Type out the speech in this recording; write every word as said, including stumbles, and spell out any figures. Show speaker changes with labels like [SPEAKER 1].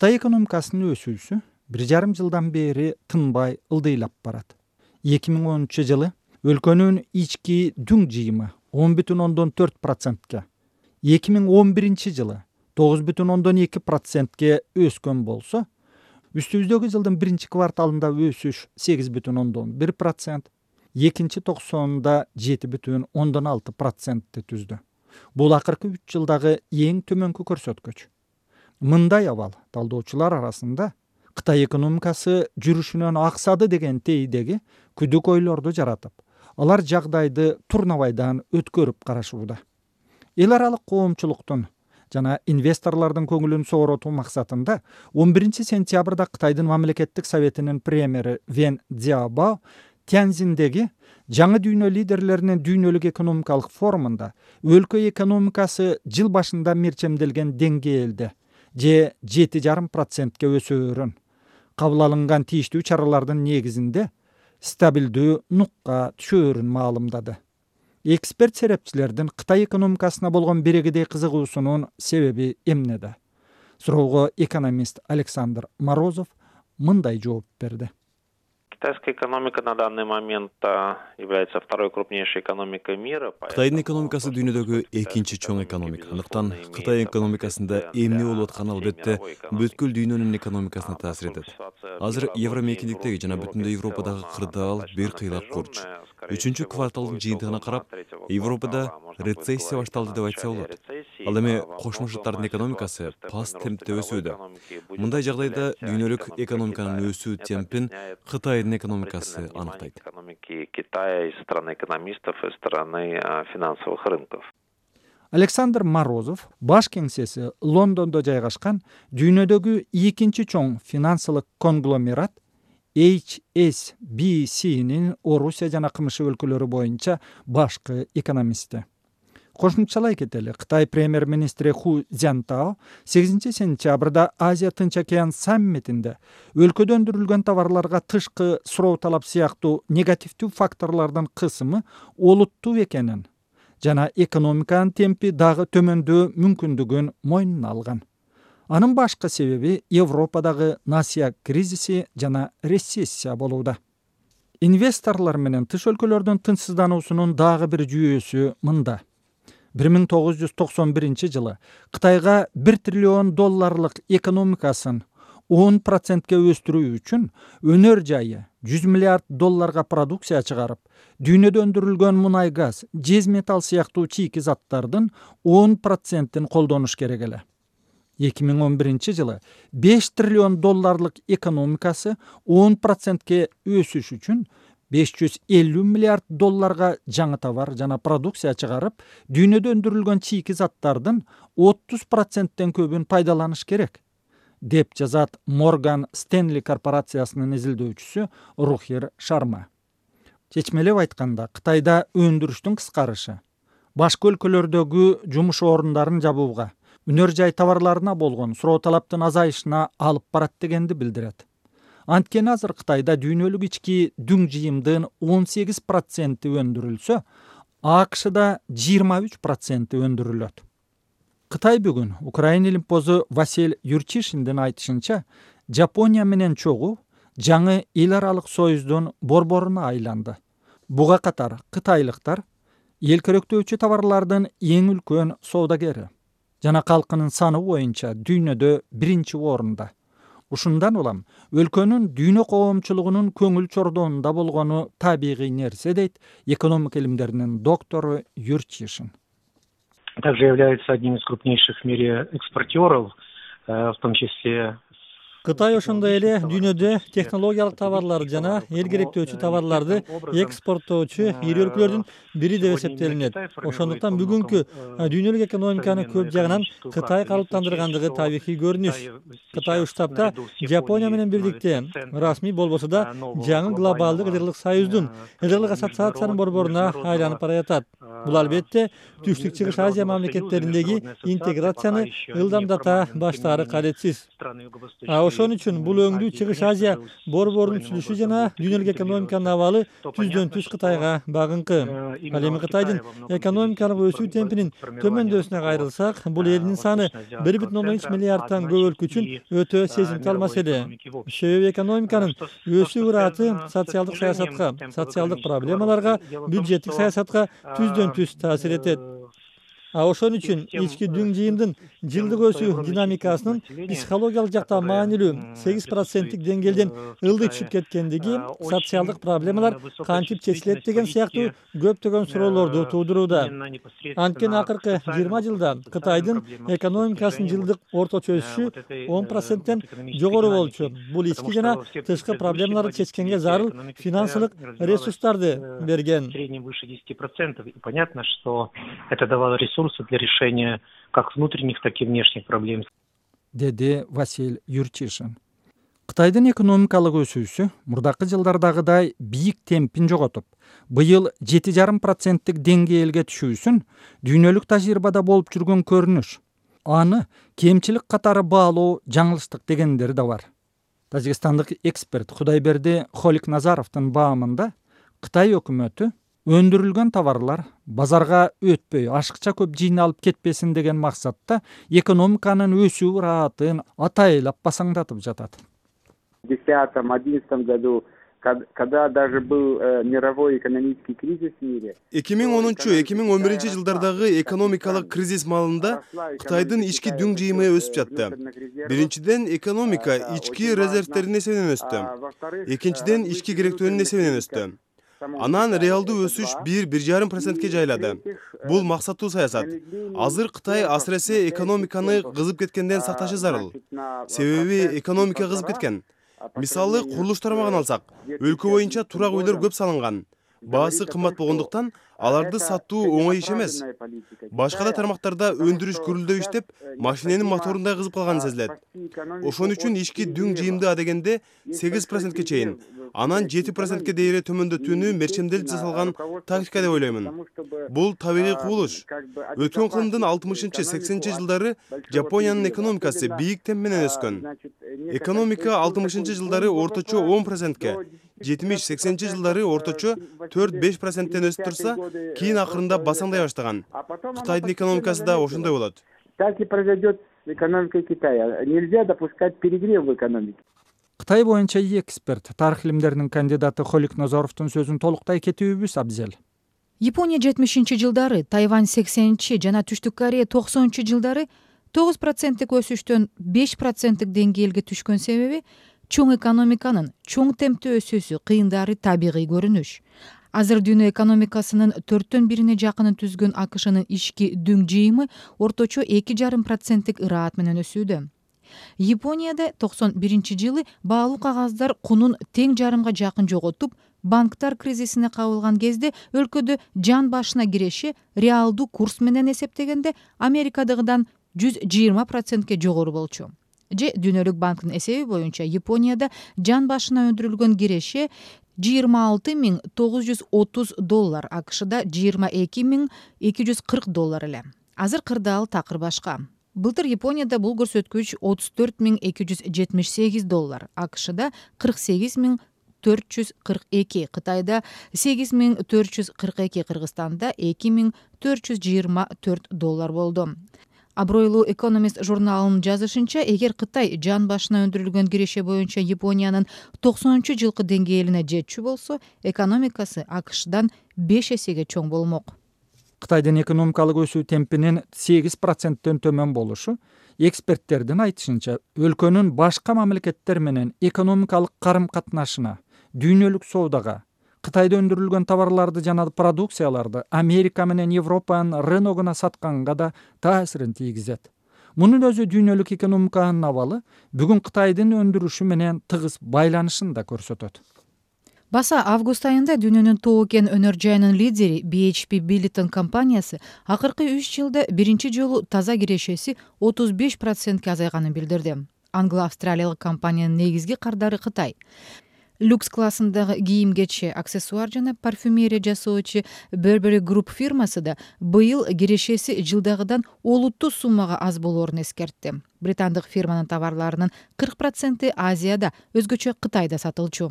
[SPEAKER 1] Кытай экономикасынын өсүүсү бир жарым жылдан бери тынбай ылдыйлап барат. эки миң онунчу жылы өлкөнүн ички дүң жыйымы он бүтүн ондон төрт процентке, эки миң он биринчи жылы тогуз бүтүн ондон эки процентке өскөн болсо, үстүбүздөгү жылдын биринчи кварталында өсүш сегиз бүтүн ондон бир процент, экинчи токсонунда жети бүтүн ондон алты процентти түздү. Бул акыркы үч жылдагы эң төмөнкү көрсөткүч. Мындай абал талдоочулар арасында Кытай экономикасы жүрүшүнөн аксады деген тейдеги күдүк ойлорду жаратып, алар жагдайды турнабайдан өткөрүп карашууда. Эл аралык коомчулуктун жана инвесторлордун көңүлүн сооротуу максатында он биринчи сентябрда Кытайдын мамлекеттик советинин премьери Вен Цзяобао Тяньцзиндеги жаңы дүйнө лидерлеринин дүйнөлүк экономикалык форумунда өлкө экономикасы жыл башында мерчемделген деңгээлде же жети жарым процентке өсөөрүн, кабыл алынган тийиштүү чаралардын негизинде стабилдүү нукка түшөөрүн маалымдады. Эксперт серепчилердин Кытай экономикасына болгон берегидей кызыгуусунун себеби эмнеде? Суроого экономист Александр Морозов мындай жооп берди.
[SPEAKER 2] Китайская экономика на данный момент является второй крупнейшей экономикой мира.
[SPEAKER 3] Кытайдын экономикасы дүйнөдөгү экинчи чоң экономика. Андыктан Кытай экономикасында эмне болуп атканы албетте бүткүл дүйнөнүн экономикасына таасир этет. Азыр Евромейкиндиктеги жана бүтүндөй Европадагы кырдаал бир кыйлап курч. Үчүнчү кварталдын жыйынтыгына карап, Европада рецессия башталды деп айтса болот. Ал эми Кошмо Шаттардын экономикасы паст темпте өсүүдө. Мындай жагдайда дүйнөлүк экономиканын өсүү темпин Кытайдын экономикасы аныктайт.
[SPEAKER 2] Китая из стороны экономистов и стороны финансовых рынков.
[SPEAKER 1] Александр Морозов баш кеңсеси Лондондо жайгашкан дүйнөдөгү экинчи чоң финансылык конгломерат эйч эс би синин Орусия жана КМШ өлкөлөрү боюнча башкы экономисти. Кошумчалай кетели, Кытай премьер-министри Ху Цзянтао сегизинчи сентябрда Азия Тынч океан саммитинде өлкөдө өндүрүлгөн товарларга тышкы суроо талап сыяктуу негативдүү факторлордун кысымы олуттуу экенин жана экономиканын темпи дагы төмөндөө мүмкүндүгүн мойнуна алган. Анын башкы себеби Европадагы насыя кризиси жана рецессия болууда. Инвесторлор менен тыш өлкөлөрдүн тынчсыздануусунун дагы бир жүйөсү мында. бир миң тогуз жүз токсон биринчи жылы Кытайга бир триллион долларлык экономикасын он процентке өстүрүү үчүн өнөр жайы жүз миллиард долларга продукция чыгарып, дүйнөдө өндүрүлгөн мунай газ, жез металл сыяктуу чийки заттардын он процентин колдонуш керек эле. эки миң он биринчи жылы беш триллион долларлык экономикасы он процентке өсүш үчүн беш жүз элүү миллиард долларга жаңы товар жана продукция чыгарып, дүйнөдө өндүрүлгөн чийки заттардын отуз проценттен көбүн пайдаланыш керек, деп жазат Морган Стенли корпорациясынын изилдөөчүсү Рухир Шарма. Чечмелеп айтканда, Кытайда өндүрүштүн кыскарышы башка өлкөлөрдөгү жумуш орундарын жабууга, өнөр жай товарларына болгон суроо талаптын азайышына алып барат дегенди билдирет. Анткени азыр Кытайда дүйнөлүк ички дүң жыйымдын он сегиз проценти өндүрүлсө, АКШда жыйырма үч проценти өндүрүлөт. Кытай бүгүн Украина илимпозу Василь Юрчишиндин айтышынча, Жапония менен чогуу жаңы эл аралык союздун борборуна айланды. Буга катар кытайлыктар эл керектөөчү товарлардын эң үлкөн соодагери жана калкынын саны боюнча дүйнөдө биринчи орунда. Ушундан улам өлкөнүн дүйнө коомчулугунун көңүл чордоонунда болгону табигый нерсе, дейт экономика илимдеринин доктору Юрчишин.
[SPEAKER 4] Также является одним из крупнейших в мире экспортеров, в том числе.
[SPEAKER 5] Кытай ошондой эле дүйнөдө технологиялык товарлар жана эл керектөөчү товарларды экспорттоочу ири өлкөлөрдүн бири деп эсептелинет. Ошондуктан бүгүнкү дүйнөлүк экономиканы көп жагынан Кытай калыптандыргандыгы табигый көрүнүш. Кытай уштапта Жапония менен бирдикте расмий болбосо да жаңы глобалдык ыдырлык союздун ыдырлык ассоциациянын борборуна айланып бара жатат. Бул албетте Түштүк Чыгыш Азия мамлекеттериндеги интеграцияны ылдамдата баштаары кадетсиз. ошон үчүн бул өңдүү Чыгыш Азия борборунун түзүлүшү жана дүйнөлүк экономиканын абалы түздөн түз Кытайга багынкы. Ал эми Кытайдын экономикалык өсүү темпинин төмөндөсүнө кайрылсак, бул элдин саны бир бүтүн ондон үч миллиардтан көп өлкө үчүн өтө сезимтал маселе. Себеби экономиканын өсүү ыраты социалдык саясатка, социалдык проблемаларга, бюджеттик саясатка түздөн түз таасир этет. А ошон үчүн ички дүң жыйымдын жылдык өсүү динамикасынын психологиялык жакта маанилүү сегиз проценттик деңгээлден ылдый түшүп кеткендиги, социалдык проблемалар кантип чечилет деген сыяктуу көптөгөн суроолорду туудурууда. Анткени акыркы жыйырма жылда Кытайдын экономикасынын жылдык орточо өсүшү он проценттен жогору болчу. Бул ички жана тышкы проблемаларды чечкенге зарыл финансылык ресурстарды берген.
[SPEAKER 4] Понятно, что это давало ресурсы для решения как внутренних, так и внешних проблем.
[SPEAKER 1] Деди Василь Юрчишин. Кытайдын экономикалык өсүүсү мурдакы жылдардагыдай бийик темпин жоготуп, быйыл жети жарым проценттик деңгээлге түшүүсүн дүйнөлүк тажрыйбада болуп жүргөн көрүнүш. Аны кемчилик катары баалоо жаңылыштык дегендер да бар. Тажикстандык эксперт Кудайберди Холикназаровдун баамында Кытай өкмөтү өндүрүлгөн товарлар базарга өтпөй ашыкча көп жыйналып кетпесин деген максатта экономиканын өсүү ыраатын атайлап басаңдатып жатат.
[SPEAKER 6] В две тысячи десятом-одиннадцатом году, когда даже был мировой экономический кризис в мире.
[SPEAKER 3] эки миң онунчу — эки миң он биринчи жылдардагы экономикалык кризис маалында Кытайдын ички дүң жыйымы өсүп жатты. Биринчиден, экономика ички резервтердин эсебинен өстү. Экинчиден, ички керектөөнүн эсебинен өстү. Анан реалдуу өсүш бир — бир жарым процентке жайлады. Бул максаттуу саясат. Азыр Кытай асыресе экономиканы кызып кеткенден сакташы зарыл. Себеби экономика кызып кеткен. Мисалы, курулуш тармагын алсак, өлкө боюнча турак үйлөр көп салынган. Баасы кымбат болгондуктан аларды сатуу оңой иш эмес. Башка да тармактарда өндүрүш гүрүлдөп иштеп, машиненин моторундай кызып калганы сезилет. Ошон үчүн ички дүң жыйымды адегенде сегиз процентке чейин, анан жети процентке дейре төмөндөтүүнү мерчемделип жасалган тактика деп ойлоймун. Бул табигый кубулуш. Өткөн кылымдын алтымышынчы — сексенинчи жылдары Жапониянын экономикасы бийик темп менен өскөн. Экономика алтымышынчы жылдары орточо он процентке, жетимиш — сексенинчи жылдары орточо төрт — беш проценттен өсүп турса, кийин акырында басаңдай баштаган. Кытайдын экономикасы да ошондой болот.
[SPEAKER 6] Так и произойдет с экономикой Китая. Нельзя допускать перегрев в экономике.
[SPEAKER 1] Кытай боюнча эксперт, тарых илимдеринин кандидаты Холикназаровдун сөзүн толуктай кетүүбүз абзел.
[SPEAKER 7] Япония жетимишинчи жылдары, Тайвань сексенинчи жана Түштүк Корея токсонунчу жылдары тогуз проценттик өсүштөн беш проценттик деңгээлге түшкөн себеби чоң экономиканын чоң темпте өсүүсү кыйындары табигый көрүнүш. Азыр дүйнө экономикасынын төрттөн бирине жакынын түзгөн АКШнын ички дүң жыйымы орточо эки жарым проценттик ыраат менен өсүүдө. Японияда токсон биринчи жылы баалуу кагаздар кунун тең жарымга жакын жоготуп, банктар кризисине кабылган кезде өлкөдө жан башына киреше реалдуу курс менен эсептегенде Америкадагыдан жүз жыйырма процентке жогору болчу. Же Дүйнөлүк банктын эсеби боюнча Японияда жан башына өндүрүлгөн киреше жыйырма алты миң тогуз жүз отуз доллар, АКШда жыйырма эки миң эки жүз кырк доллар эле. Азыр кырдаал такыр башка. Былтыр Японияда бул көрсөткүч отуз төрт миң эки жүз жетимиш сегиз доллар, АКШда кырк сегиз миң төрт жүз кырк эки, Кытайда сегиз миң төрт жүз кырк эки, Кыргызстанда эки миң төрт жүз жыйырма төрт доллар болду. Абройлуу Economist журналынын жазышынча, эгер Кытай жан башына өндүрүлгөн киреше боюнча Япониянын токсонунчу жылкы деңгээлине жетчү болсо, экономикасы АКШдан беш эсеге чоң болмок.
[SPEAKER 1] Кытайдын экономикалык өсүү темпинин сегиз проценттен төмөн болушу эксперттердин айтышынча өлкөнүн башка мамлекеттер менен экономикалык карым-катнашына, дүйнөлүк соодага, Кытайда өндүрүлгөн товарларды жана продукцияларды Америка менен Европанын рыногуна сатканга да таасирин тийгизет. Мунун өзү дүйнөлүк экономиканын абалы бүгүн Кытайдын өндүрүшү менен тыгыз байланышын да көрсөтөт.
[SPEAKER 7] Баса август айында дүйнөнүн тоо кен өнөр жайынын лидери би эйч пи Billiton компаниясы акыркы үч жылда биринчи жолу таза кирешеси отуз беш процентке азайганын билдирди. Англо-австралиялык компаниянын негизги кардары Кытай. люкс классындагы кийим кече, аксессуар жана парфюмерия жасоочу Burberry Group фирмасы да быйыл кирешеси жылдагыдан олуттуу суммага аз болоорун эскертти. Британдык фирманын товарларынын кырк проценти Азияда, өзгөчө Кытайда сатылчу.